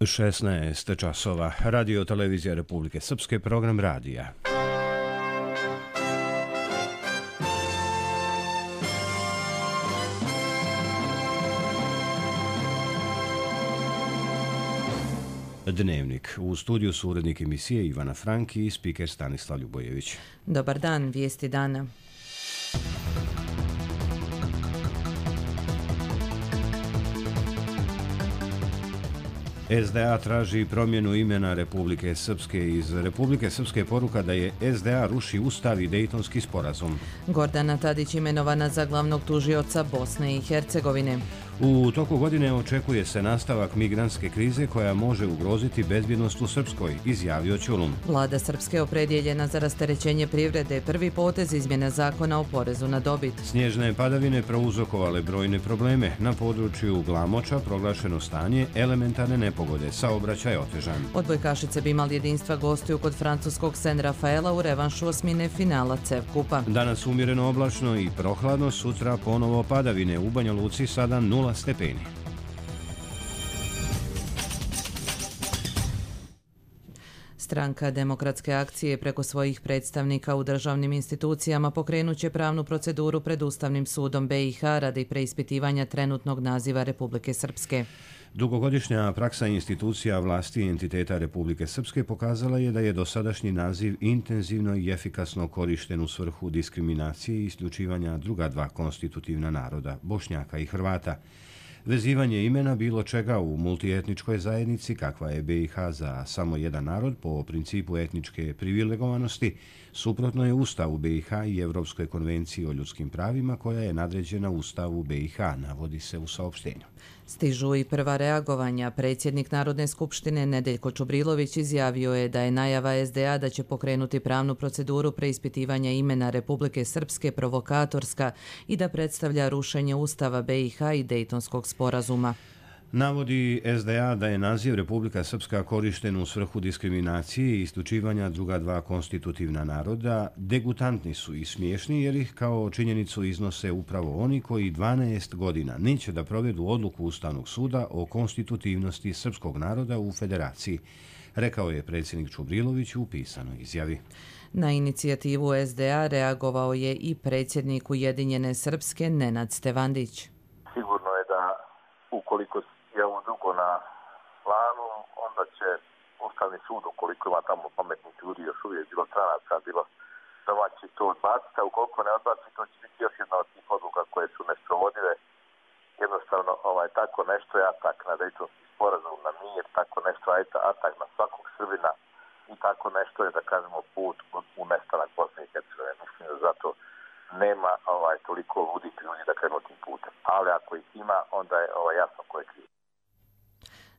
16 časova. Radio Televizija Republike Srpske, program radija. Dnevnik. U studiju su urednik emisije Ivana Franki i spiker Stanislav Ljubojević. Dobar dan, vijesti dana. SDA traži promjenu imena Republike Srpske. Iz Republike Srpske poruka da je SDA ruši Ustav i Dejtonski sporazum. Gordana Tadić imenovana za glavnog tužioca Bosne i Hercegovine. U toku godine očekuje se nastavak migrantske krize koja može ugroziti bezbjednost u Srpskoj, izjavio Ćulun. Vlada Srpske opredjeljena za rasterećenje privrede, prvi potez izmjena zakona o porezu na dobit. Snježne padavine prouzrokovale brojne probleme. Na području Glamoča proglašeno stanje elementarne nepogode, saobraćaj otežan. Odbojkašice bi imali jedinstva gostuju kod francuskog Sen Rafaela u revanšu osmine finala CEV kupa. Danas umjereno oblačno i prohladno, sutra ponovo padavine. U Banja Luci sada 0 stepeni. Stranka Demokratske akcije preko svojih predstavnika u državnim institucijama pokrenut će pravnu proceduru pred Ustavnim sudom BiH radi preispitivanja trenutnog naziva Republike Srpske. Dugogodišnja praksa institucija vlasti i entiteta Republike Srpske pokazala je da je dosadašnji naziv intenzivno i efikasno korišten u svrhu diskriminacije i isključivanja druga dva konstitutivna naroda, Bošnjaka i Hrvata. Vezivanje imena bilo čega u multietničkoj zajednici, kakva je BiH za samo jedan narod po principu etničke privilegovanosti, suprotno je Ustavu BiH i Evropskoj konvenciji o ljudskim pravima koja je nadređena Ustavu BiH, navodi se u saopštenju. Stižu i prva reagovanja. Predsjednik Narodne skupštine Nedeljko Čubrilović izjavio je da je najava SDA da će pokrenuti pravnu proceduru preispitivanja imena Republike Srpske provokatorska i da predstavlja rušenje Ustava BiH i Dejtonskog sporazuma. Navodi SDA da je naziv Republika Srpska korišten u svrhu diskriminacije i isključivanja druga dva konstitutivna naroda, degutantni su i smiješni jer ih kao činjenicu iznose upravo oni koji 12 godina neće da provedu odluku Ustavnog suda o konstitutivnosti srpskog naroda u federaciji, rekao je predsjednik Čubrilović u pisanoj izjavi. Na inicijativu SDA reagovao je i predsjednik Ujedinjene Srpske Nenad Stevandić. Sigurno je da ukoliko je ovo dugo na planu, onda će Ustavni sud, ukoliko ima tamo pametnih ljudi, još uvijek bilo stranaca, bilo domaći, to odbaciti, a ukoliko ne odbaci, to će biti još jedna od tih odluka koje su nesprovodive. Jednostavno, tako nešto je atak na Dejtonski sporazum, na mir, tako nešto je atak na svakog Srbina i tako nešto je, da kažemo, put u nestanak Bosne i Hercegovine. Mislim da zato nema toliko ludih ljudi da krenu tim putem. Ali ako ih ima, onda je jasno ko je kriv.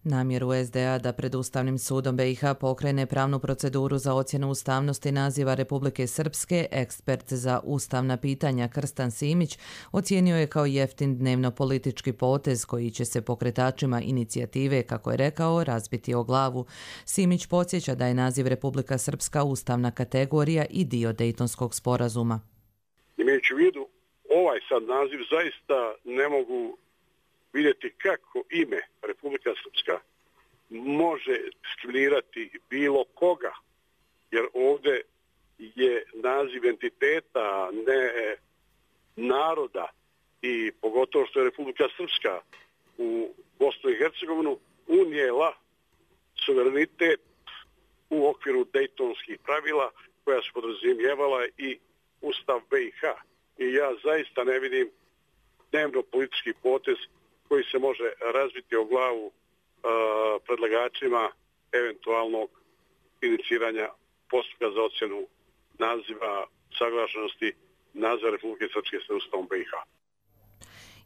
Namjeru SDA da pred Ustavnim sudom BiH pokrene pravnu proceduru za ocjenu ustavnosti naziva Republike Srpske, ekspert za ustavna pitanja Krstan Simić ocijenio je kao jeftin dnevno-politički potez koji će se pokretačima inicijative, kako je rekao, razbiti o glavu. Simić podsjeća da je naziv Republika Srpska ustavna kategorija i dio Dejtonskog sporazuma. Imajući u vidu ovaj sad naziv, zaista ne mogu vidjeti kako ime Republika Srpska može diskriminirati bilo koga, jer ovdje je naziv entiteta, ne naroda, i pogotovo što je Republika Srpska u Bosnu i Hercegovinu unijela suverenitet u okviru dejtonskih pravila koja su podrazumijevala i Ustav BiH. I ja zaista ne vidim dnevno politički potez koji se može razbiti o glavu predlagačima eventualnog iniciranja postupka za ocjenu naziva saglašenosti naziva Republike Srpske sa Ustavom BiH.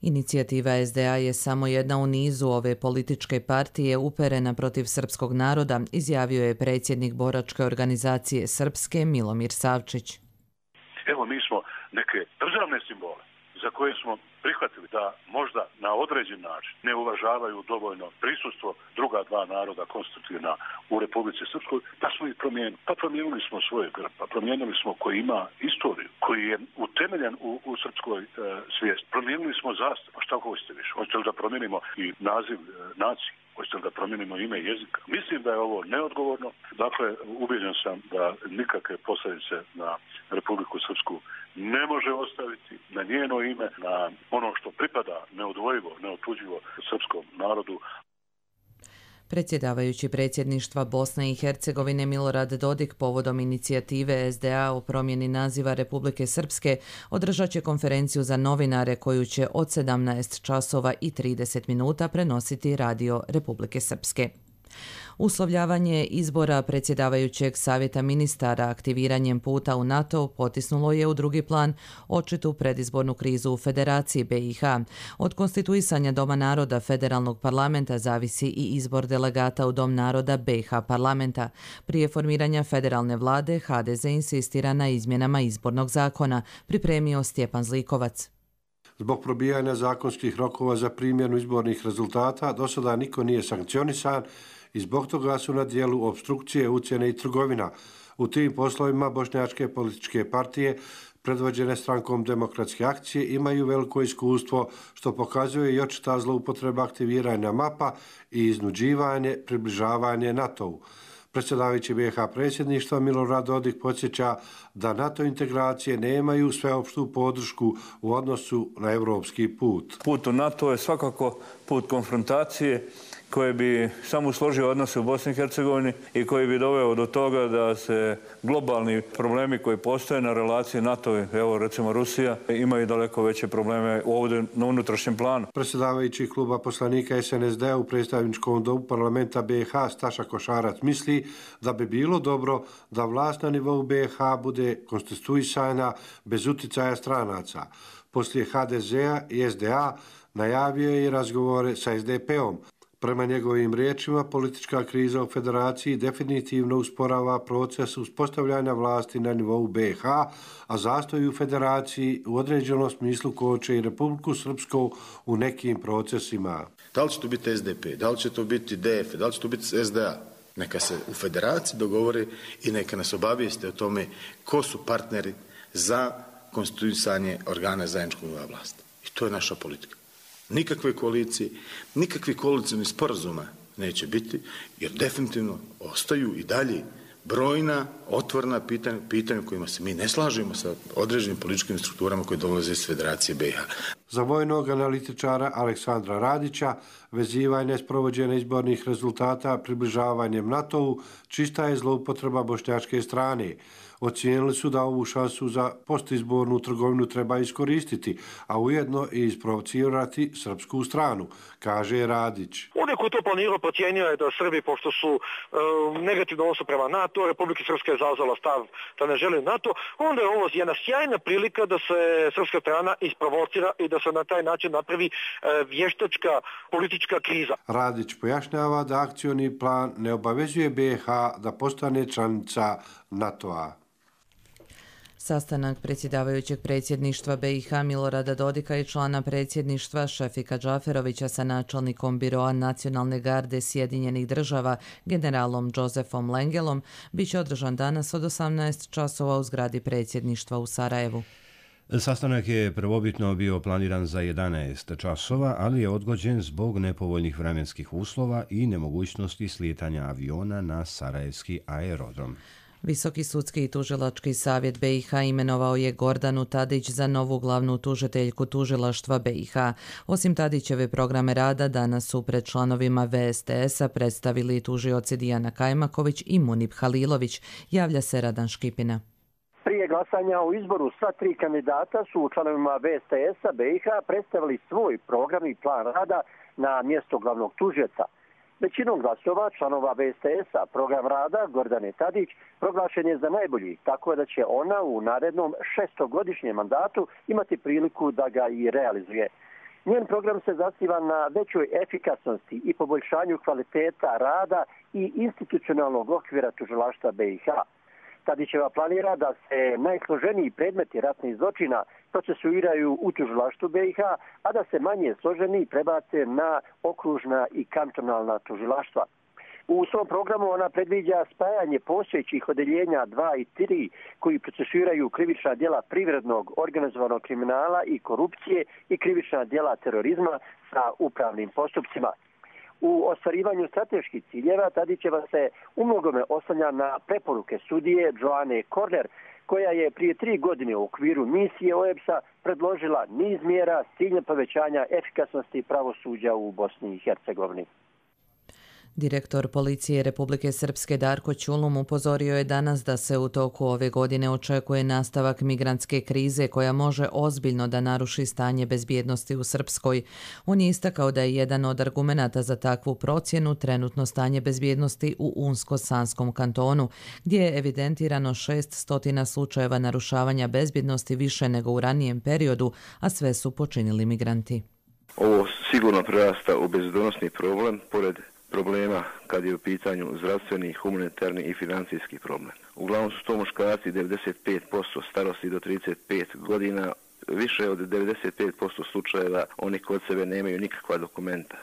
Inicijativa SDA je samo jedna u nizu ove političke partije uperena protiv srpskog naroda, izjavio je predsjednik boračke organizacije Srpske Milomir Savčić. Evo, mi smo neke državne simbole za koje smo prihvatili da možda na određen način ne uvažavaju dovoljno prisustvo druga dva naroda konstitutivna u Republici Srpskoj, pa smo ih promijenili. Pa promijenili smo svoje grb, pa promijenili smo koji ima istoriju, koji je utemeljen u srpskoj svijesti. Promijenili smo zastavu. Pa šta hoćete više? Hoćete li da promijenimo i naziv nacije? Hoćete da promijenimo ime jezika? Mislim da je ovo neodgovorno. Dakle, ubijeđen sam da nikakve posljedice na Republiku Srpsku ne može ostaviti, na njeno ime, na ono što pripada neodvojivo, neotuđivo srpskom narodu. Predsjedavajući predsjedništva Bosne i Hercegovine Milorad Dodik povodom inicijative SDA o promjeni naziva Republike Srpske održat će konferenciju za novinare koju će od 17 časova i 30 minuta prenositi Radio Republike Srpske. Uslovljavanje izbora predsjedavajućeg savjeta ministara aktiviranjem puta u NATO potisnulo je u drugi plan očitu predizbornu krizu u Federaciji BiH. Od konstituisanja Doma naroda federalnog parlamenta zavisi i izbor delegata u Dom naroda BiH parlamenta. Prije formiranja federalne vlade HDZ insistira na izmjenama izbornog zakona, pripremio Stjepan Zlikovac. Zbog probijanja zakonskih rokova za primjenu izbornih rezultata do sada niko nije sankcionisan i zbog toga su na dijelu opstrukcije, ucjene i trgovina. U tim poslovima bošnjačke političke partije, predvođene strankom Demokratske akcije, imaju veliko iskustvo, što pokazuje i očita zloupotreba aktiviranja mapa i iznuđivanje, približavanje NATO-u. Predsjedavajući BiH predsjedništva Milorad Dodik podsjeća da NATO integracije nemaju sveopštu podršku u odnosu na evropski put. Put u NATO je svakako put konfrontacije koji bi samo složio odnose u Bosni i Hercegovini i koji bi doveo do toga da se globalni problemi koji postoje na relaciji NATO, evo recimo Rusija, imaju daleko veće probleme ovdje na unutrašnjem planu. Predsjedavajući kluba poslanika SNSD u predstavničkom domu parlamenta BiH Staša Košarac misli da bi bilo dobro da vlast na nivou BiH bude konstituisana bez uticaja stranaca. Poslije HDZ-a i SDA najavio je i razgovore sa SDP-om. Prema njegovim riječima, politička kriza u Federaciji definitivno usporava proces uspostavljanja vlasti na nivou BiH, a zastoj u Federaciji u određenom smislu koče i Republiku Srpsku u nekim procesima. Da li će to biti SDP, da li će to biti DF, da li će to biti SDA? Neka se u Federaciji dogovore i neka nas obavijeste o tome ko su partneri za konstituisanje organa zajedničkog nivoa vlasti. I to je naša politika. Nikakve koalicije, nikakvih koalicijnih sporazuma neće biti, jer definitivno ostaju i dalje brojna otvorena pitanja kojima se mi ne slažemo sa određenim političkim strukturama koje dolaze iz Federacije BiH. Za vojnog analitičara Aleksandra Radića vezivanje sprovođenja izbornih rezultata približavanjem NATO-u čista je zloupotreba bošnjačke strane. Ocijenili su da ovu šansu za postizbornu trgovinu treba iskoristiti, a ujedno i isprovocirati srpsku stranu, kaže Radić. Onaj koji to planirao procijenio je da Srbi, pošto su negativno odnosu prema NATO, Republika Srpska je zauzela stav da ne želi NATO, onda je ovo jedna sjajna prilika da se srpska strana isprovocira i da se na taj način napravi vještačka politička kriza. Radić pojašnjava da akcioni plan ne obavezuje BiH da postane članica NATO-a. Sastanak predsjedavajućeg predsjedništva BiH Milorada Dodika i člana predsjedništva Šefika Džaferovića sa načelnikom Biroa nacionalne garde Sjedinjenih država generalom Josefom Lengelom bit će održan danas od 18 časova u zgradi predsjedništva u Sarajevu. Sastanak je prvobitno bio planiran za 11 časova, ali je odgođen zbog nepovoljnih vremenskih uslova i nemogućnosti slijetanja aviona na sarajevski aerodrom. Visoki sudski i tužilački savjet BiH imenovao je Gordanu Tadić za novu glavnu tužiteljku tužilaštva BiH. Osim Tadićeve programe rada, danas su pred članovima VSTS-a predstavili tužioci Dijana Kajmaković i Munib Halilović, javlja se Radan Škipina. Prije glasanja o izboru sva tri kandidata su članovima VSTS-a BiH predstavili svoj program i plan rada na mjesto glavnog tužioca. Većinom glasova članova VSTS-a program rada Gordane Tadić proglašen je za najbolji, tako da će ona u narednom 6-godišnjem mandatu imati priliku da ga i realizuje. Njen program se zasniva na većoj efikasnosti i poboljšanju kvaliteta rada i institucionalnog okvira tužilaštva BiH. Tadićeva planira da se najsloženiji predmeti ratnih zločina procesuiraju u tužilaštvu BiH, a da se manje složeni prebace na okružna i kantonalna tužilaštva. U svom programu ona predviđa spajanje postojećih odeljenja 2 i 3 koji procesuiraju krivična djela privrednog organizovanog kriminala i korupcije i krivična djela terorizma sa upravnim postupcima. U ostvarivanju strateških ciljeva Tadićeva se umnogome oslanja na preporuke sudije Joane Korner, koja je prije 3 godine u okviru misije OEBS-a predložila niz mjera s ciljem povećanja efikasnosti pravosuđa u Bosni i Hercegovini. Direktor policije Republike Srpske Darko Ćulum upozorio je danas da se u toku ove godine očekuje nastavak migrantske krize koja može ozbiljno da naruši stanje bezbjednosti u Srpskoj. On je istakao da je jedan od argumenata za takvu procjenu trenutno stanje bezbjednosti u Unsko-Sanskom kantonu, gdje je evidentirano 600 slučajeva narušavanja bezbjednosti više nego u ranijem periodu, a sve su počinili migranti. Ovo sigurno prerasta u bezbjednosni problem, pored problema kad je u pitanju zdravstveni, humanitarni i financijski problem. Uglavnom su to muškarci 95% starosti do 35 godina, više od 95% slučajeva oni kod sebe nemaju nikakva dokumenta.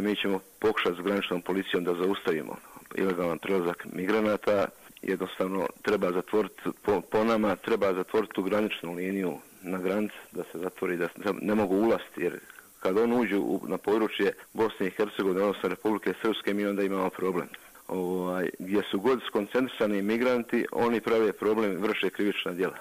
Mi ćemo pokušati s graničnom policijom da zaustavimo ilegalan prelazak migranata. Jednostavno treba zatvoriti, po nama treba zatvoriti tu graničnu liniju na granici, da se zatvori, da ne mogu ulaziti, jer kad on uđu na područje Bosne i Hercegovine, odnosno Republike Srpske, mi onda imamo problem. Gdje su god skoncentrisani migranti, oni prave problem, vrše krivična djela.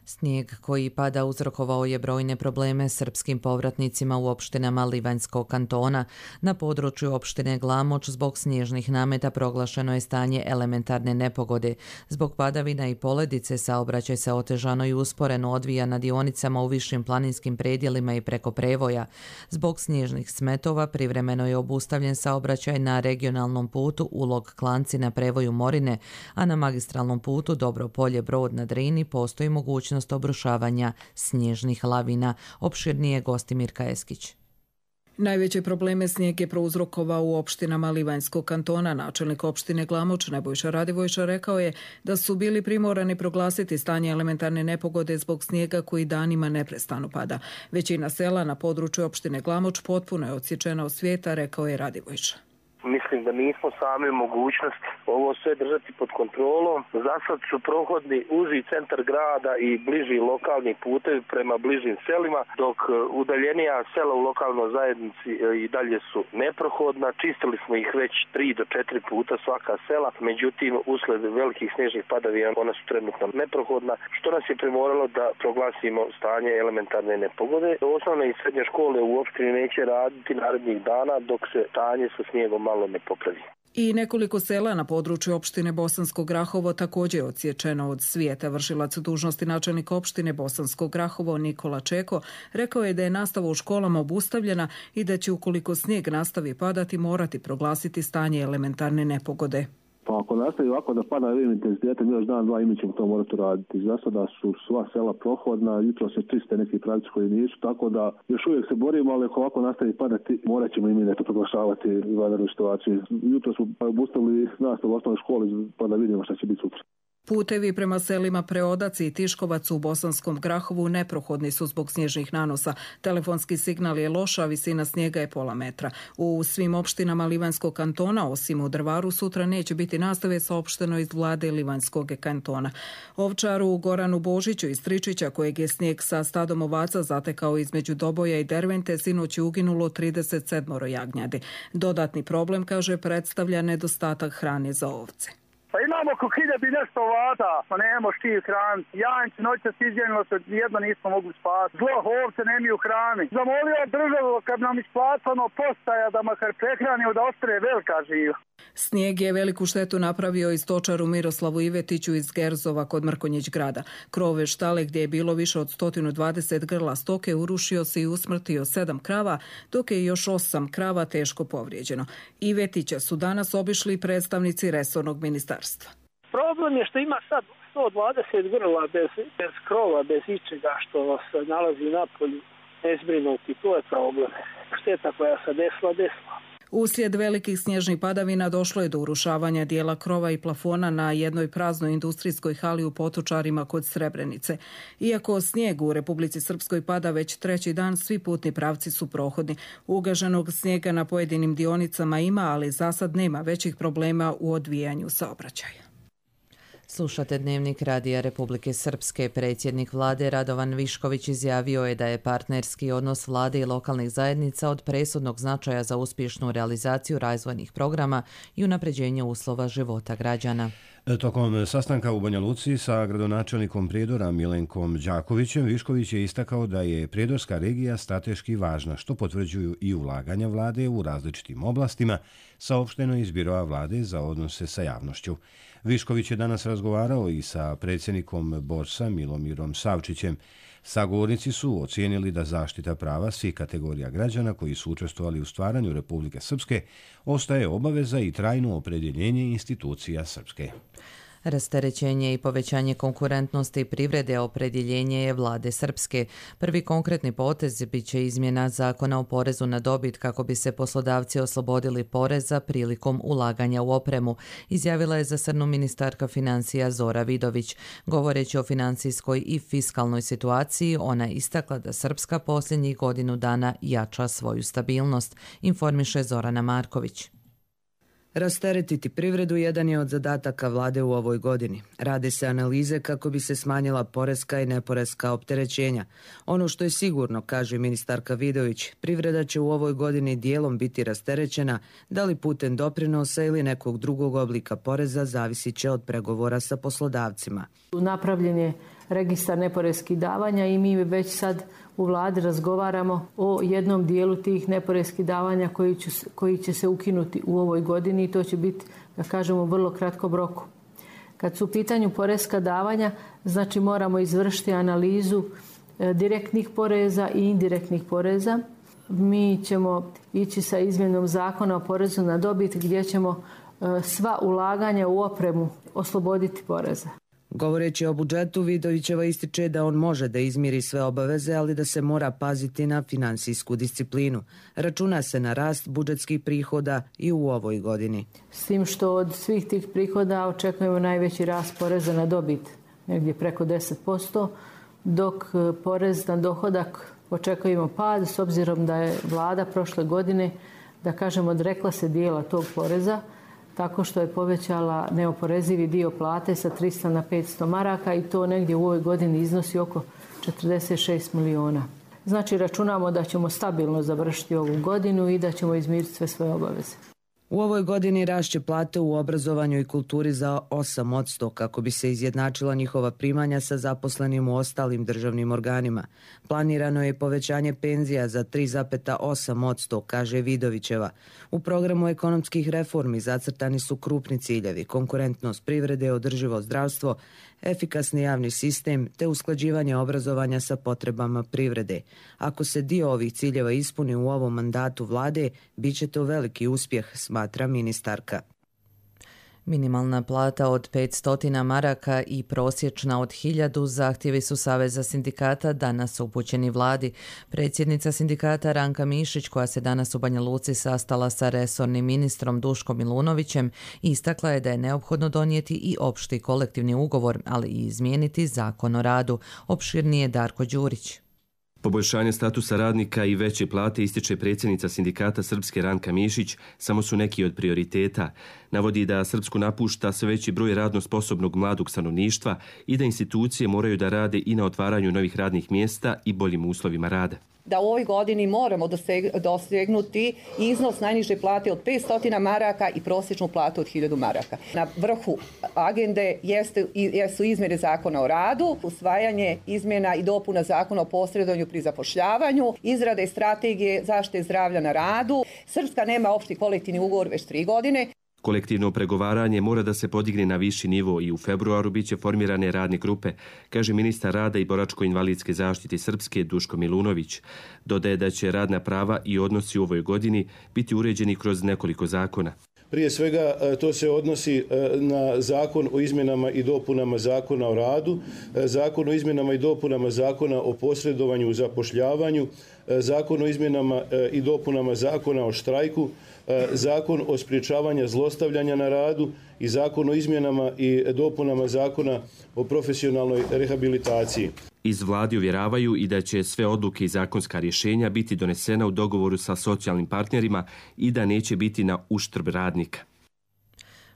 Snijeg koji pada uzrokovao je brojne probleme srpskim povratnicima u opštinama Livanjskog kantona. Na području opštine Glamoč zbog snježnih nameta proglašeno je stanje elementarne nepogode. Zbog padavina i poledice saobraćaj se otežano i usporeno odvija na dionicama u višim planinskim predjelima i preko prevoja. Zbog snježnih smetova privremeno je obustavljen saobraćaj na regionalnom putu Ulog-Klanci na prevoju Morine, a na magistralnom putu Dobro Polje-Brod na Drini postoji mogućnost obrušavanja snježnih lavina. Opširnije Gostimir Kajeskić. Najveće probleme snijeg je prouzrokovao u opštinama Livanjskog kantona. Načelnik opštine Glamoč Nebojša Radivojša rekao je da su bili primorani proglasiti stanje elementarne nepogode zbog snijega koji danima neprestano pada. Većina sela na području opštine Glamoč potpuno je odsječena od svijeta, rekao je Radivojša. Mislim da nismo sami mogućnosti ovo sve držati pod kontrolom. Zasad su prohodni uži centar grada i bliži lokalni putevi prema bližim selima, dok udaljenija sela u lokalnoj zajednici i dalje su neprohodna. Čistili smo ih već 3 do 4 puta svaka sela, međutim usled velikih snježnih padavina ona su trenutno neprohodna, što nas je primoralo da proglasimo stanje elementarne nepogode. Osnovne i srednje škole u opštini neće raditi narednih dana dok se stanje sa snijegom malo ne popravi. I nekoliko sela na području opštine Bosansko Grahovo također je odsječeno od svijeta. Vršilac dužnosti načelnika opštine Bosansko Grahovo Nikola Čeko rekao je da je nastava u školama obustavljena i da će ukoliko snijeg nastavi padati morati proglasiti stanje elementarne nepogode. Pa ako nastavi ovako da pada ovim intenzitetom još dan, dva i mi ćemo to morati raditi. Za sada su sva sela prohodna, jutro se čiste neki pravci koji nisu, tako da još uvijek se borimo, ali ako ovako nastavi padati, morat ćemo i mi nešto proglašavati vanrednu situaciju. Jutro smo obustavili nastavu u osnovnoj školi, pa da vidimo šta će biti sutra. Putevi prema selima Preodac i Tiškovac u Bosanskom Grahovu neprohodni su zbog snježnih nanosa. Telefonski signal je loš, a visina snijega je pola metra. U svim opštinama Livanjskog kantona, osim u Drvaru, sutra neće biti nastave, saopšteno iz vlade Livanjskog kantona. Ovčaru Goranu Božiću iz Tričića, kojeg je snijeg sa stadom ovaca zatekao između Doboja i Dervente, sinoć je uginulo 37 jagnjadi. Dodatni problem, kaže, predstavlja nedostatak hrane za ovce. Pa imamo oko 1000 i nešto ovaca, pa nemamo štiv hraniti. Janjci noćas izgjenilo se, jedno nismo mogli spati. Zlo, ovce nemaju hrani. Zamolio državu kad nam isplatano postaja da makar prehranimo da ostane velika živa. Snijeg je veliku štetu napravio i stočaru Miroslavu Ivetiću iz Gerzova kod Mrkonjić grada. Krove štale gdje je bilo više od 120 grla stoke urušio se i usmrtio 7 krava, dok je još 8 krava teško povrijeđeno. Ivetića su danas obišli predstavnici resornog ministarstva. Problem je što ima sad 120 grla bez krova, bez ičega što se nalazi na polju nezbrinuti. To je problem. Šteta koja se desila. Uslijed velikih snježnih padavina došlo je do urušavanja dijela krova i plafona na jednoj praznoj industrijskoj hali u Potočarima kod Srebrenice. Iako snijeg u Republici Srpskoj pada već 3. dan, svi putni pravci su prohodni. Ugaženog snijega na pojedinim dionicama ima, ali za sad nema većih problema u odvijanju saobraćaja. Slušate Dnevnik Radija Republike Srpske. Predsjednik vlade Radovan Višković izjavio je da je partnerski odnos vlade i lokalnih zajednica od presudnog značaja za uspješnu realizaciju razvojnih programa i unapređenje uslova života građana. Tokom sastanka u Banja Luci sa gradonačelnikom Prijedora Milenkom Đakovićem, Višković je istakao da je Prijedorska regija strateški važna, što potvrđuju i ulaganja vlade u različitim oblastima, saopšteno iz Biroa vlade za odnose sa javnošću. Višković je danas razgovarao i sa predsjednikom Borsa Milomirom Savčićem. Sagovornici su ocijenili da zaštita prava svih kategorija građana koji su učestvovali u stvaranju Republike Srpske ostaje obaveza i trajno opredjeljenje institucija Srpske. Rasterećenje i povećanje konkurentnosti privrede opredjeljenje je vlade Srpske. Prvi konkretni potez biće izmjena zakona o porezu na dobit kako bi se poslodavci oslobodili poreza prilikom ulaganja u opremu, izjavila je za Srnu ministarka financija Zora Vidović. Govoreći o financijskoj i fiskalnoj situaciji, ona je istakla da Srpska posljednjih godinu dana jača svoju stabilnost, informiše Zorana Marković. Rasteretiti privredu jedan je od zadataka vlade u ovoj godini. Rade se analize kako bi se smanjila poreska i neporeska opterećenja. Ono što je sigurno, kaže ministarka Vidović, privreda će u ovoj godini dijelom biti rasterećena, da li putem doprinosa ili nekog drugog oblika poreza, zavisit će od pregovora sa poslodavcima. Napravljen je registar neporeskih davanja i mi već sad u vladi razgovaramo o jednom dijelu tih neporeskih davanja koji će se ukinuti u ovoj godini i to će biti, da kažemo, u vrlo kratkom roku. Kad su u pitanju poreska davanja, znači moramo izvršiti analizu direktnih poreza i indirektnih poreza. Mi ćemo ići sa izmjenom zakona o porezu na dobit gdje ćemo sva ulaganja u opremu osloboditi poreza. Govoreći o budžetu, Vidovićeva ističe da on može da izmiri sve obaveze, ali da se mora paziti na finansijsku disciplinu. Računa se na rast budžetskih prihoda i u ovoj godini. S tim što od svih tih prihoda očekujemo najveći rast poreza na dobit, negdje preko 10%, dok porez na dohodak očekujemo pad, s obzirom da je vlada prošle godine, da kažemo, odrekla se dijela tog poreza, tako što je povećala neoporezivi dio plate sa 300 na 500 maraka i to negdje u ovoj godini iznosi oko 46 miliona. Znači računamo da ćemo stabilno završiti ovu godinu i da ćemo izmiriti sve svoje obaveze. U ovoj godini rašće plate u obrazovanju i kulturi za 8% kako bi se izjednačila njihova primanja sa zaposlenim u ostalim državnim organima. Planirano je povećanje penzija za 3,8%, kaže Vidovićeva. U programu ekonomskih reformi zacrtani su krupni ciljevi: konkurentnost privrede, održivo zdravstvo, efikasni javni sistem te usklađivanje obrazovanja sa potrebama privrede. Ako se dio ovih ciljeva ispuni u ovom mandatu vlade, bit će to veliki uspjeh, smatra ministarka. Minimalna plata od 500 maraka i prosječna od 1000 zahtjevi su Saveza sindikata danas upućeni vladi. Predsjednica sindikata Ranka Mišić, koja se danas u Banja Luci sastala sa resornim ministrom Duškom Milunovićem, istakla je da je neophodno donijeti i opšti kolektivni ugovor, ali i izmijeniti zakon o radu. Opširnije Darko Đurić. Poboljšanje statusa radnika i veće plate, ističe predsjednica sindikata Srpske Ranka Mišić, samo su neki od prioriteta. Navodi da Srpsku napušta sve veći broj radno sposobnog mladog stanovništva i da institucije moraju da rade i na otvaranju novih radnih mjesta i boljim uslovima rada. Da u ovoj godini moramo dosegnuti iznos najniže plate od 500 maraka i prosječnu platu od 1000 maraka. Na vrhu agende jesu izmjene zakona o radu, usvajanje izmjena i dopuna zakona o posredovanju pri zapošljavanju, izrade strategije zaštite zdravlja na radu. Srpska nema opšti kolektivni ugovor već 3 godine. Kolektivno pregovaranje mora da se podigne na viši nivo i u februaru biće formirane radne grupe, kaže ministar rada i boračko-invalidske zaštite Srpske Duško Milunović. Dodaje da će radna prava i odnosi u ovoj godini biti uređeni kroz nekoliko zakona. Prije svega to se odnosi na zakon o izmjenama i dopunama zakona o radu, zakon o izmjenama i dopunama zakona o posredovanju u zapošljavanju, zakon o izmjenama i dopunama zakona o štrajku, zakon o sprječavanju zlostavljanja na radu i zakon o izmjenama i dopunama zakona o profesionalnoj rehabilitaciji. Iz vladi uvjeravaju i da će sve odluke i zakonska rješenja biti donesena u dogovoru sa socijalnim partnerima i da neće biti na uštrb radnika.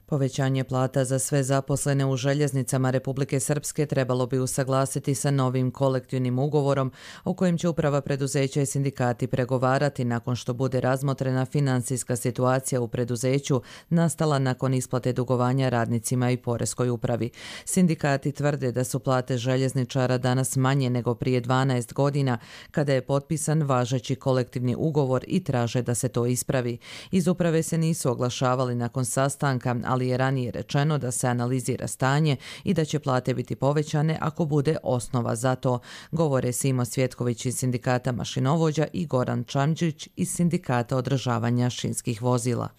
Povećanje plata za sve zaposlene u željeznicama Republike Srpske trebalo bi usaglasiti sa novim kolektivnim ugovorom o kojem će uprava preduzeća i sindikati pregovarati nakon što bude razmotrena financijska situacija u preduzeću nastala nakon isplate dugovanja radnicima i poreskoj upravi. Sindikati tvrde da su plate željezničara danas manje nego prije 12 godina kada je potpisan važeći kolektivni ugovor i traže da se to ispravi. Iz uprave se nisu oglašavali nakon sastanka, ali je ranije rečeno da se analizira stanje i da će plate biti povećane ako bude osnova za to, govore Simo Svjetković iz sindikata mašinovođa i Goran Čamđić iz sindikata održavanja šinskih vozila.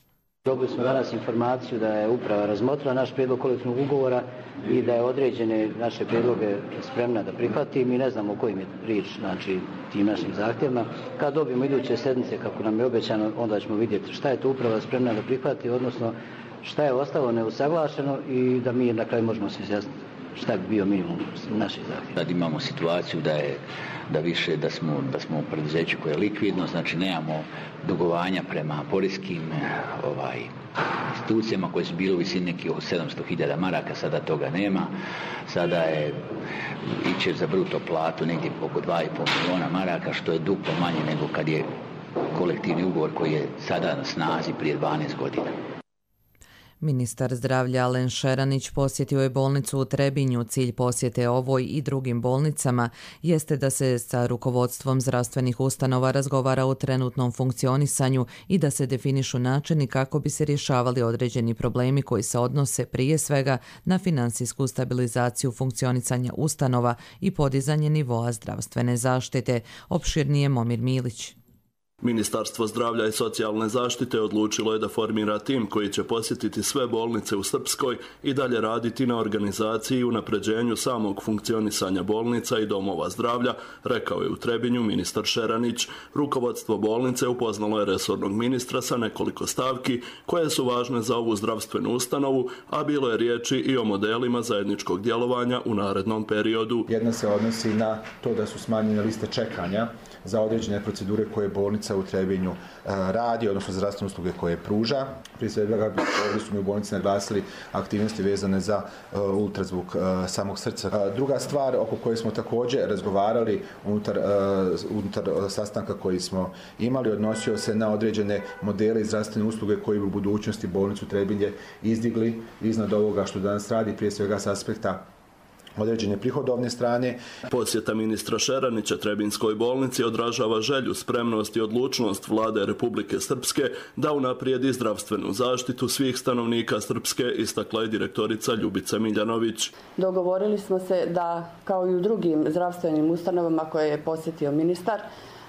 Dobili smo danas informaciju da je uprava razmotrila naš prijedlog kolektivnog ugovora i da je određene naše prijedloge spremna da prihvati. Mi ne znamo o kojim je riječ, znači tim našim zahtjevima. Kad dobijemo iduće sedmice, kako nam je obećano, onda ćemo vidjeti šta je to uprava spremna da prihvati, odnosno šta je ostalo neusaglašeno i da mi na kraju možemo se izjasniti šta bi bio minimum naših zahtjeva. Sad imamo situaciju da smo u preduzeću koje je likvidno, znači nemamo dugovanja prema poreskim institucijama koje su bile u visini nekih oko 700.000 maraka, sada toga nema. Sada iće za bruto platu negdje oko 2,5 milijuna maraka, što je duplo manje nego kad je kolektivni ugovor koji je sada na snazi prije 12 godina. Ministar zdravlja Alen Šeranić posjetio je bolnicu u Trebinju. Cilj posjete ovoj i drugim bolnicama jeste da se sa rukovodstvom zdravstvenih ustanova razgovara o trenutnom funkcionisanju i da se definišu načini kako bi se rješavali određeni problemi koji se odnose prije svega na financijsku stabilizaciju funkcionisanja ustanova i podizanje nivoa zdravstvene zaštite. Opširnije Momir Milić. Ministarstvo zdravlja i socijalne zaštite odlučilo je da formira tim koji će posjetiti sve bolnice u Srpskoj i dalje raditi na organizaciji i unapređenju samog funkcionisanja bolnica i domova zdravlja, rekao je u Trebinju ministar Šeranić. Rukovodstvo bolnice upoznalo je resornog ministra sa nekoliko stavki koje su važne za ovu zdravstvenu ustanovu, a bilo je riječi i o modelima zajedničkog djelovanja u narednom periodu. Jedna se odnosi na to da su smanjene liste čekanja za određene procedure koje bolnica u Trebinju radi, odnosno zdravstvene usluge koje pruža. Prije svega ovdje su mi u bolnici naglasili aktivnosti vezane za ultrazvuk samog srca. Druga stvar oko koje smo također razgovarali unutar sastanka koji smo imali odnosio se na određene modele i zdravstvene usluge koji bi u budućnosti bolnicu Trebinje izdigli iznad ovoga što danas radi, prije svega s aspekta određene prihodovne strane. Posjeta ministra Šeranića Trebinskoj bolnici odražava želju, spremnost i odlučnost vlade Republike Srpske da unaprijedi zdravstvenu zaštitu svih stanovnika Srpske, istakla je direktorica Ljubica Miljanović. Dogovorili smo se da, kao i u drugim zdravstvenim ustanovama koje je posjetio ministar,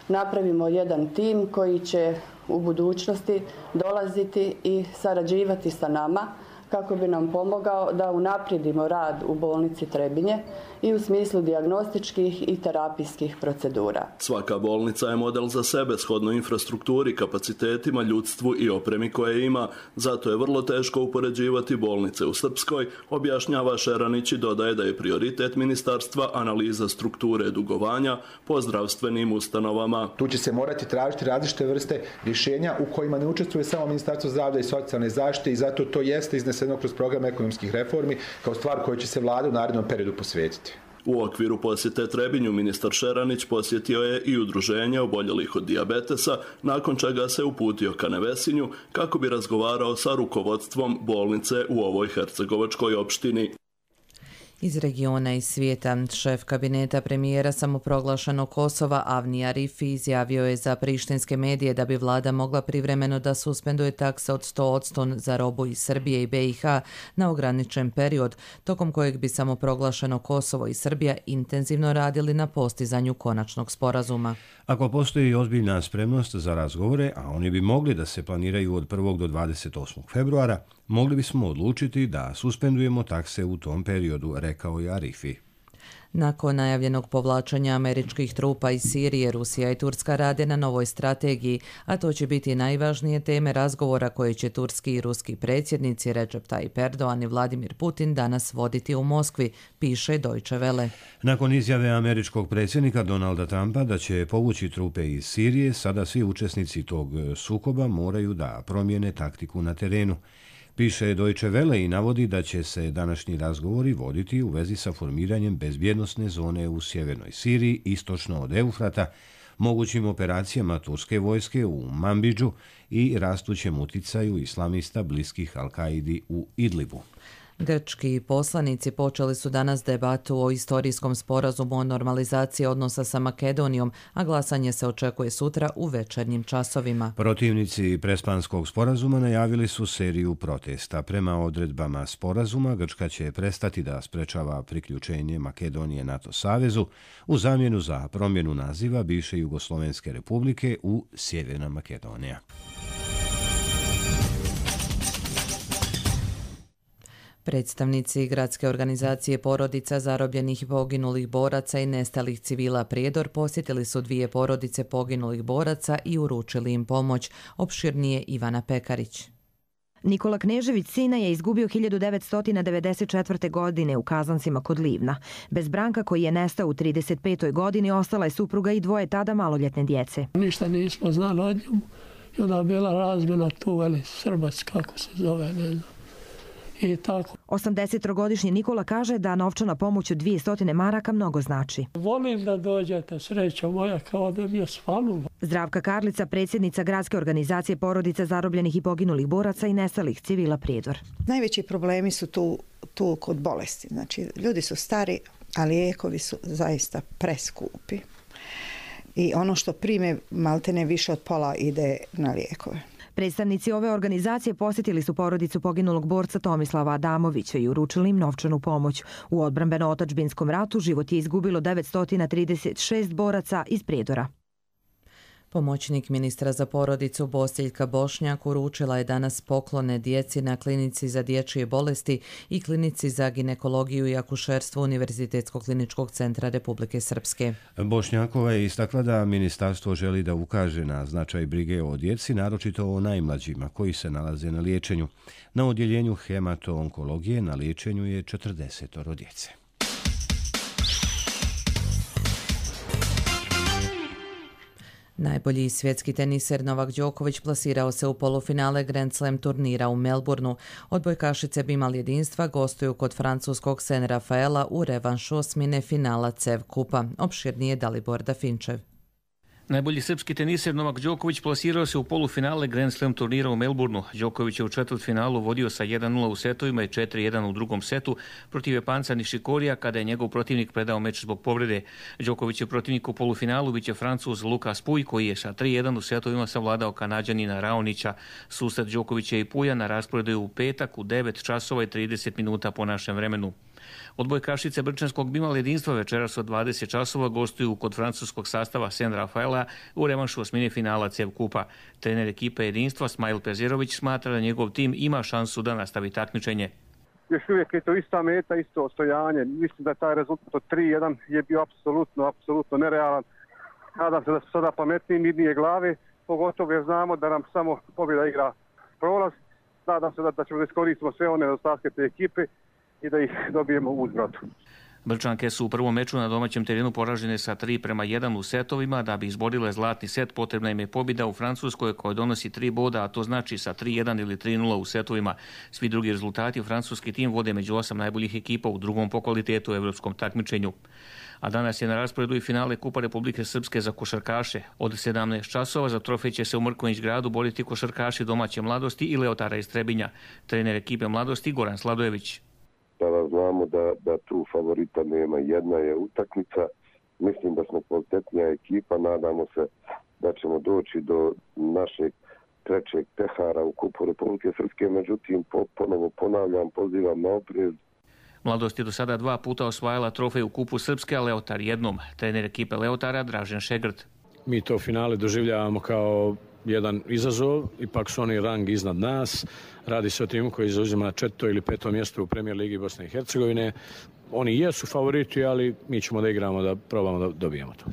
napravimo jedan tim koji će u budućnosti dolaziti i sarađivati sa nama kako bi nam pomogao da unaprijedimo rad u bolnici Trebinje i u smislu dijagnostičkih i terapijskih procedura. Svaka bolnica je model za sebe shodno infrastrukturi, kapacitetima, ljudstvu i opremi koje ima. Zato je vrlo teško upoređivati bolnice u Srpskoj, objašnjava Šeranić i dodaje da je prioritet ministarstva analiza strukture dugovanja po zdravstvenim ustanovama. Tu će se morati tražiti različite vrste rješenja u kojima ne učestvuje samo Ministarstvo zdravlja i socijalne zaštite i zato to jeste izneseno kroz program ekonomskih reformi kao stvar koju će se vlada u narednom periodu posvetiti. U okviru posjete Trebinju ministar Šeranić posjetio je i udruženje oboljelih od dijabetesa, nakon čega se uputio ka Nevesinju kako bi razgovarao sa rukovodstvom bolnice u ovoj hercegovačkoj opštini. Iz regiona i svijeta, šef kabineta premijera samoproglašenog Kosova Avni Arifi izjavio je za prištinske medije da bi vlada mogla privremeno da suspenduje takse od 100% za robu iz Srbije i BiH na ograničen period, tokom kojeg bi samoproglašeno Kosovo i Srbija intenzivno radili na postizanju konačnog sporazuma. Ako postoji ozbiljna spremnost za razgovore, a oni bi mogli da se planiraju od 1. do 28. februara, mogli bismo odlučiti da suspendujemo takse u tom periodu, rekao je Arifi. Nakon najavljenog povlačenja američkih trupa iz Sirije, Rusija i Turska rade na novoj strategiji, a to će biti najvažnije teme razgovora koje će turski i ruski predsjednici Recep Tayyip Erdogan i Vladimir Putin danas voditi u Moskvi, piše Deutsche Welle. Nakon izjave američkog predsjednika Donalda Trumpa da će povući trupe iz Sirije, sada svi učesnici tog sukoba moraju da promijene taktiku na terenu. Piše Deutsche Welle i navodi da će se današnji razgovori voditi u vezi sa formiranjem bezbjednosne zone u sjevernoj Siriji, istočno od Eufrata, mogućim operacijama turske vojske u Manbidžu i rastućem uticaju islamista bliskih Al-Kaidi u Idlibu. Grčki poslanici počeli su danas debatu o istorijskom sporazumu o normalizaciji odnosa sa Makedonijom, a glasanje se očekuje sutra u večernjim časovima. Protivnici Prespanskog sporazuma najavili su seriju protesta. Prema odredbama sporazuma, Grčka će prestati da sprečava priključenje Makedonije NATO savezu u zamjenu za promjenu naziva bivše Jugoslovenske republike u Sjeverna Makedonija. Predstavnici gradske organizacije porodica zarobljenih i poginulih boraca i nestalih civila Prijedor posjetili su 2 porodice poginulih boraca i uručili im pomoć. Opširnije Ivana Pekarić. Nikola Knežević sina je izgubio 1994. godine u Kazancima kod Livna. Bez Branka koji je nestao u 35. godini ostala je supruga i 2 tada maloljetne djece. Ništa nismo znali od njemu i onda bila razmjena tu, Srbac kako se zove, ne znam. 80-godišnji Nikola kaže da novčana pomoć od 200 maraka mnogo znači. Volim da dođete, srećo moja, kao da mi je svanulo. Zdravka Karlica, predsjednica gradske organizacije porodica zarobljenih i poginulih boraca i nestalih civila Prijedor. Najveći problemi su tu kod bolesti. Znači, ljudi su stari, a lijekovi su zaista preskupi. I ono što prime, maltene više od pola ide na lijekove. Predstavnici ove organizacije posjetili su porodicu poginulog borca Tomislava Adamovića i uručili im novčanu pomoć. U odbrambeno-otadžbinskom ratu život je izgubilo 936 boraca iz Prijedora. Pomoćnik ministra za porodicu Bosiljka Bošnjak uručila je danas poklone djeci na klinici za dječje bolesti i klinici za ginekologiju i akušerstvo Univerzitetskog kliničkog centra Republike Srpske. Bošnjakova je istakla da ministarstvo želi da ukaže na značaj brige o djeci, naročito o najmlađima koji se nalaze na liječenju. Na odjeljenju hemato-onkologije na liječenju je 40 djece. Najbolji svjetski teniser Novak Đoković plasirao se u polufinale Grand Slam turnira u Melbourneu. Odbojkašice Bimal jedinstva gostuju kod francuskog Sen Rafaela u revanšu osmine finala CEV kupa. Opširnije Dalibor Dafinčev. Najbolji srpski teniser Novak Đoković plasirao se u polufinale Grand Slam turnira u Melbourneu. Đoković je u četvrtfinalu vodio sa 1-0 u setovima i 4-1 u drugom setu protiv Japanca Nishikorija kada je njegov protivnik predao meč zbog povrede. Đoković je protivnik u polufinalu biće Francuz Lukas Pouille koji je sa 3-1 u setovima savladao Kanađanina Raonića. Susret Đokovića i Pouilla na rasporedu je u petak u 9 časova i 30 minuta po našem vremenu. Odbojkašice brčanskog Bimal jedinstva večeras od 20 časova gostuju kod francuskog sastava Sen Rafaela u revanšu osmine finala CEV kupa. Trener ekipe jedinstva Smajl Pezirović smatra da njegov tim ima šansu da nastavi takmičenje. Još uvijek je to ista meta, isto ostojanje. Mislim da taj rezultat od 3-1 je bio apsolutno nerealan. Nadam se da su sada pametniji, mirnije glave, pogotovo jer znamo da nam samo pobjeda igra prolaz. Nadam se da ćemo da iskoristimo sve one nedostatke te ekipe i da ih dobijemo u uzvratu. Brčanke su u prvom meču na domaćem terenu poražene sa 3-1 u setovima. Da bi izborile zlatni set potrebna im je pobjeda u Francuskoj koja donosi 3 boda, a to znači sa 3-1 ili 3-0 u setovima. Svi drugi rezultati francuski tim vode među 8 najboljih ekipa u drugom po kvalitetu u evropskom takmičenju. A danas je na rasporedu i finale Kupa Republike Srpske za košarkaše. Od 17 časova za trofej će se u Mrkonjić gradu boriti košarkaši domaće Mladosti i Leotara iz Trebinja. Trener ekipe Mladosti Goran Sladojević. Sada znamo da tu favorita nema, jedna je utakmica. Mislim da smo kvalitetnija ekipa, nadamo se da ćemo doći do našeg trećeg pehara u Kupu Republike Srpske, međutim ponovo ponavljam, pozivam na oprez. Mladost je do sada 2 puta osvajala trofej u Kupu Srpske, a Leotar jednom. Trener ekipe Leotara Dražen Šegrt. Mi to finale doživljavamo kao jedan izazov, ipak su oni rang iznad nas. Radi se o timu koji zauzima 4. ili 5. mjesto u Premijer Ligi Bosne i Hercegovine. Oni jesu favoriti, ali mi ćemo da igramo, da probamo da dobijemo to.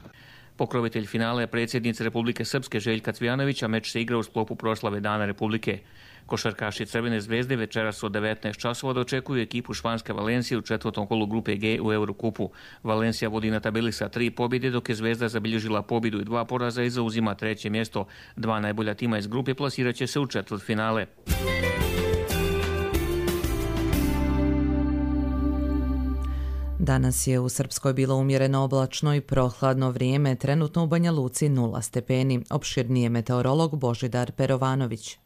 Pokrovitelj finale je predsjednica Republike Srpske Željka Cvijanović, a meč se igra u sklopu proslave Dana Republike. Košarkaši Crvene zvezde večeras od 19 časova dočekuju ekipu španske Valencije u 4. kolu grupe G u Eurokupu. Valencija vodi na tabeli sa 3 pobjede, dok je Zvezda zabilježila pobjedu i 2 poraza i zauzima 3. mjesto. 2 najbolja tima iz grupe plasirat će se u četvrtfinale. Danas je u Srpskoj bilo umjereno oblačno i prohladno vrijeme, trenutno u Banja Luci 0 stepeni. Opširnije meteorolog Božidar Perovanović.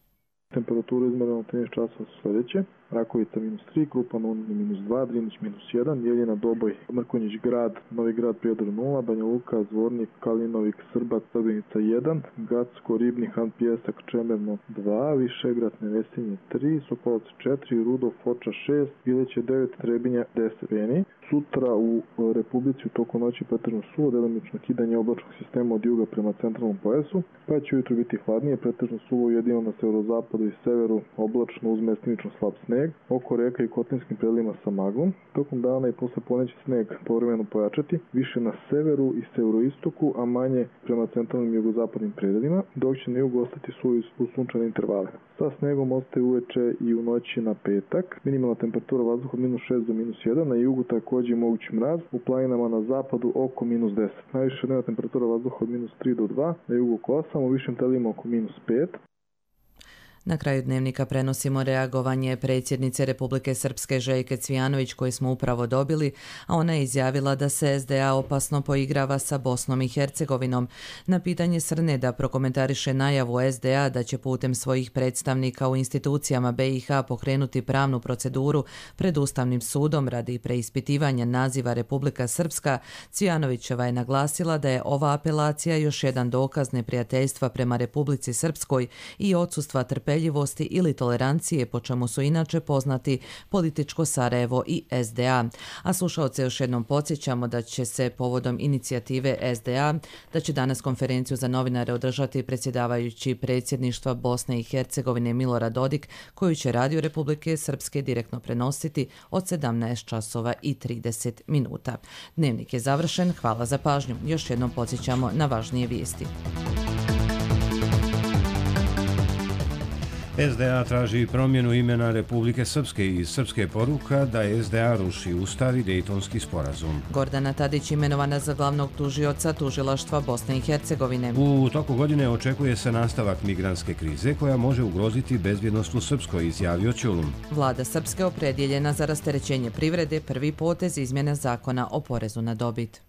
Temperaturu izmereno 13 časova su sljedeće. Rakovica -3, Krupan -2, Drinić -1, Jeljina, Doboj, Mrkonjić grad, Novi grad, Prijedor 0, Banja Luka, Zvornik, Kalinovik, Srbac, Srbenica 1, Gacko, Ribnik, Han Pijesak, Čemerno 2, Višegrad, Nevesinje 3, Sokolac 4, Rudov, Foča 6, Bileće 9, Trebinja 10 stepeni. Sutra u Republici u toku noći pretežno suvo, delimično kidanje oblačnog sistema od juga prema centralnom pojasu, pa će ujutro biti hladnije, pretežno suvo jedino na severozapadu i severu, oblačno uz mestimično slab sneg, oko reka i kotlinskim predelima sa maglom. Tokom dana i posle poneće sneg povremeno pojačati, više na severu i severoistoku, a manje prema centralnim i jugozapadnim predelima, dok će na jugu ostati u sunčane intervale. Sa snegom ostaje uveče i u noći na petak. Minimalna temperatura vazduha od -6 do -1, na jugu također mogući mraz, u planinama na zapadu oko -10. Najviša dnevna temperatura vazduha od -3 do 2, na jugu oko 8, u višim telima oko -5. Na kraju dnevnika prenosimo reagovanje predsjednice Republike Srpske Željke Cvijanović koje smo upravo dobili, a ona je izjavila da se SDA opasno poigrava sa Bosnom i Hercegovinom. Na pitanje Srne da prokomentariše najavu SDA da će putem svojih predstavnika u institucijama BiH pokrenuti pravnu proceduru pred Ustavnim sudom radi preispitivanja naziva Republika Srpska, Cvijanovićeva je naglasila da je ova apelacija još jedan dokaz neprijateljstva prema Republici Srpskoj i odsustva trpeljivosti ili tolerancije, po čemu su inače poznati političko Sarajevo i SDA. A slušalce još jednom podsjećamo da će se povodom inicijative SDA, da će danas konferenciju za novinare održati predsjedavajući predsjedništva Bosne i Hercegovine Milorad Dodik, koju će Radio Republike Srpske direktno prenositi od 17 časova i 30 minuta. Dnevnik je završen, hvala za pažnju. Još jednom podsjećamo na važnije vijesti. SDA traži promjenu imena Republike Srpske i Srpske poruka da SDA ruši Ustav i Dejtonski sporazum. Gordana Tadić imenovana za glavnog tužioca tužilaštva Bosne i Hercegovine. U toku godine očekuje se nastavak migrantske krize koja može ugroziti bezbjednost u Srpskoj, izjavio Ćulum. Vlada Srpske opredjeljena za rasterećenje privrede, prvi potez izmjena zakona o porezu na dobit.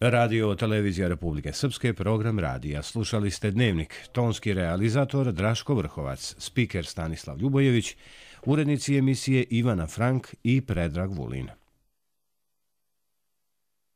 Radio Televizija Republike Srpske, program radija. Slušali ste Dnevnik, tonski realizator Draško Vrhovac, spiker Stanislav Ljubojević, urednici emisije Ivana Frank i Predrag Vulin.